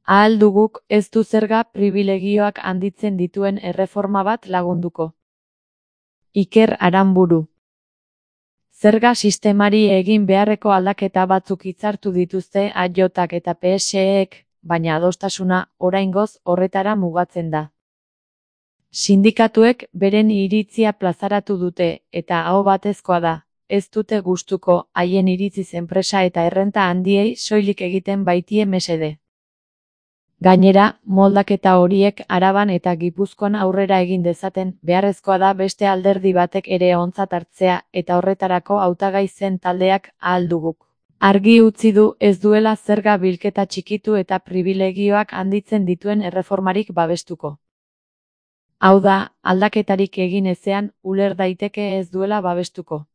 Ahal duguk ez du zerga pribilegioak handitzen dituen erreforma bat lagunduko. Iker Aranburu. Zerga sistemari egin beharreko aldaketa batzuk hitzartu dituzte AJak eta PSEek, baina adostasuna oraingoz horretara mugatzen da. Sindikatuek beren iritzia plazaratu dute, eta aho batezkoa da, ez dute gustuko haien iritziz enpresa eta errenta handiei soilik egiten baitie mesede. Gainera, moldaketa horiek Araban eta Gipuzkoan aurrera egin dezaten, beharrezkoa da beste alderdi batek ere ontzat hartzea eta horretarako hautagai zen taldeak ahal duguk. Argi utzi du ez duela zerga bilketa txikitu eta pribilegioak handitzen dituen erreformarik babestuko. Hau da, aldaketarik egin ezean, uler daiteke ez duela babestuko.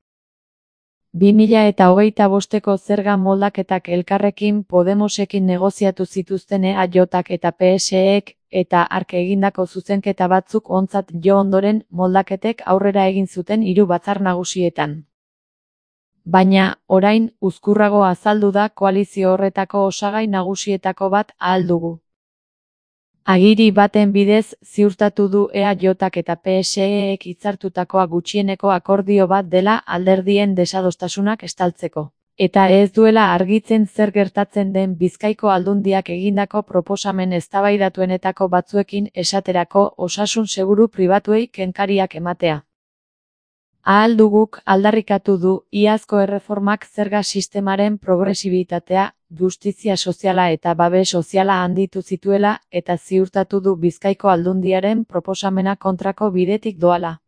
2025ko zerga moldaketak Elkarrekin Podemosekin negoziatu zituzten AJak eta PSEek, eta hark egindako zuzenketa batzuk ontzat jo ondoren moldaketek aurrera egin zuten 3 batzar nagusietan. Baina, orain, uzkurrago azaldu da koalizio horretako osagai nagusietako bat ahal dugu. Agiri baten bidez ziurtatu du EAJak eta PSEek hitzartutakoa gutxieneko akordio bat dela alderdien desadostasunak estaltzeko. Eta ez duela argitzen zer gertatzen den Bizkaiko Aldundiak egindako proposamen eztabaidatuenetako batzuekin, esaterako osasun seguru pribatuei kenkariak ematea. Ahal duguk aldarrikatu du iazko erreformak zerga sistemaren progresibitatea, justizia soziala eta babes soziala handitu zituela, eta ziurtatu du Bizkaiko Aldundiaren proposamena kontrako bidetik doala.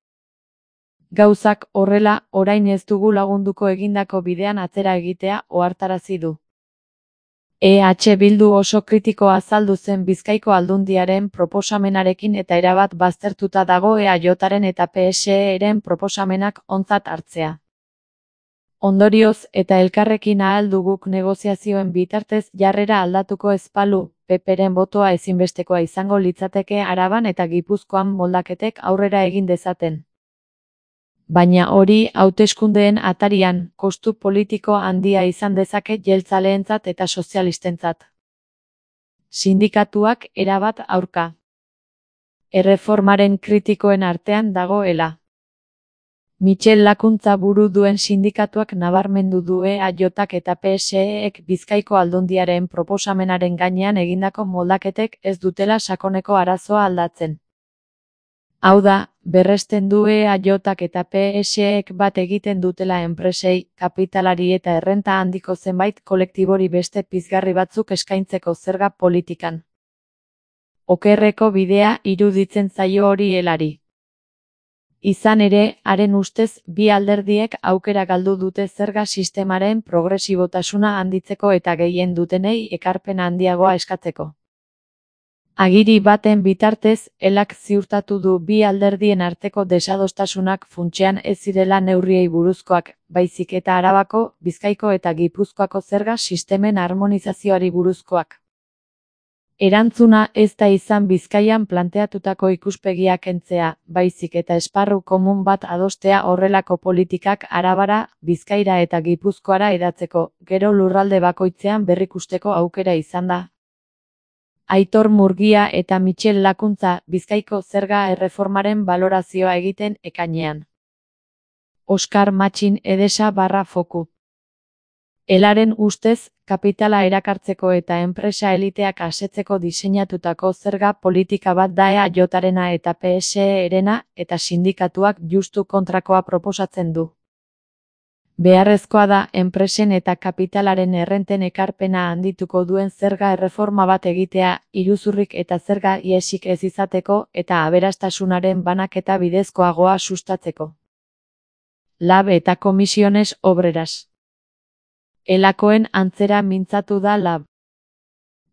Gauzak horrela, orain ez dugu lagunduko egindako bidean atzera egitea ohartarazi du. EH Bildu oso kritiko azaldu zen Bizkaiko Aldundiaren proposamenarekin eta erabat baztertuta dago EAJaren eta PSEren proposamenak ontzat hartzea. Ondorioz eta Elkarrekin ahal duguk negoziazioen bitartez jarrera aldatuko ez balu, PPren botoa ezinbestekoa izango litzateke Araban eta Gipuzkoan moldaketek aurrera egin dezaten. Baina hori hauteskundeen atarian, kostu politiko handia izan dezake jeltzaleentzat eta sozialistentzat. Sindikatuak erabat aurka. Erreformaren kritikoen artean dagoela. Michel Lakuntza buru duen sindikatuak nabarmendu du EAJak eta PSEek Bizkaiko Aldundiaren proposamenaren gainean egindako moldaketek ez dutela sakoneko arazoa aldatzen. Hau da, berresten du EAJak eta PSEek bat egiten dutela enpresei, kapitalari eta errenta handiko zenbait kolektibori beste pizgarri batzuk eskaintzeko zerga politikan. Okerreko bidea iruditzen zaio hori helari. Izan ere, haren ustez, bi alderdiek aukera galdu dute zerga sistemaren progresibotasuna handitzeko eta gehien dutenei ekarpen handiagoa eskatzeko. Agiri baten bitartez, elak ziurtatu du bi alderdien arteko desadostasunak funtsean ez zirela neurriei buruzkoak, baizik eta Arabako, Bizkaiko eta Gipuzkoako zerga sistemen harmonizazioari buruzkoak. Erantzuna ez da izan Bizkaian planteatutako ikuspegia kentzea, baizik eta esparru komun bat adostea horrelako politikak Arabara, Bizkaira eta Gipuzkoara hedatzeko, gero lurralde bakoitzean berrikusteko aukera izan da. Aitor Murgia eta Michel Lakuntza Bizkaiko zerga erreformaren balorazioa egiten ekainean. Oskar Matxin Edesa /Foku. Elaren ustez, kapitala erakartzeko eta enpresa eliteak asetzeko diseinatutako zerga politika bat da EAJarena eta PSErena, eta sindikatuak justu kontrakoa proposatzen du. Beharrezkoa da enpresen eta kapitalaren errenten ekarpena handituko duen zerga erreforma bat egitea, iruzurrik eta zerga ihesik ez izateko eta aberastasunaren banaketa bidezkoagoa sustatzeko. Lab eta Comisiones Obreras. Elakoen antzera mintzatu da Lab.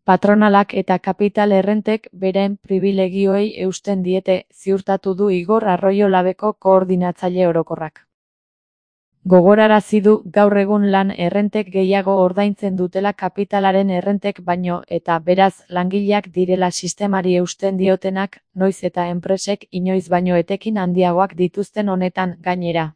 Patronalak eta kapital errentek beren pribilegioei eusten diete, ziurtatu du Igor Arroyo Labeko koordinatzaile orokorrak. Gogorarazi du gaur egun lan errentek gehiago ordaintzen dutela kapitalaren errentek baino eta beraz langileak direla sistemari eusten diotenak, noiz eta enpresek inoiz baino etekin handiagoak dituzten honetan gainera.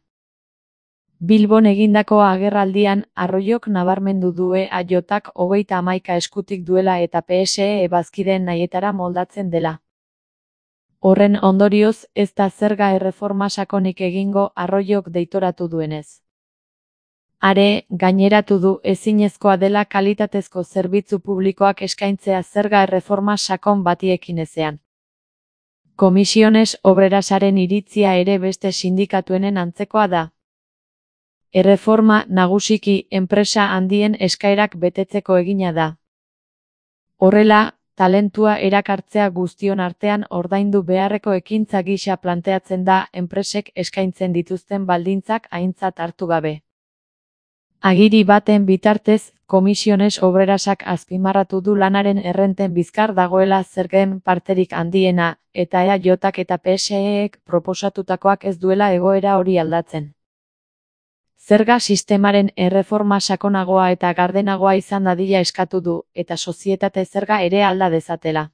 Bilbon egindako agerraldian, Arroyok nabarmendu due AJak 31 eskutik duela eta PSE bazkideen nahietara moldatzen dela. Horren ondorioz, ez da zerga erreforma sakonik egingo Arroyok deitoratu duenez. Are, gaineratu du ezinezkoa dela kalitatezko zerbitzu publikoak eskaintzea zerga erreforma sakon batiekin ezean. Komisiones Obrerasaren iritzia ere beste sindikatuenen antzekoa da. Erreforma nagusiki enpresa handien eskaerak betetzeko egina da. Horrela, talentua erakartzea guztion artean ordaindu beharreko ekintza gisa planteatzen da enpresek eskaintzen dituzten baldintzak aintzat hartu gabe. Agiri baten bitartez, Komisiones Obrerasak azpimarratu du lanaren errenten bizkar dagoela zergen parterik handiena, eta EAJak eta PSEek proposatutakoak ez duela egoera hori aldatzen. Zerga sistemaren erreforma sakonagoa eta gardenagoa izan dadila eskatu du, eta sozietate zerga ere alda dezatela.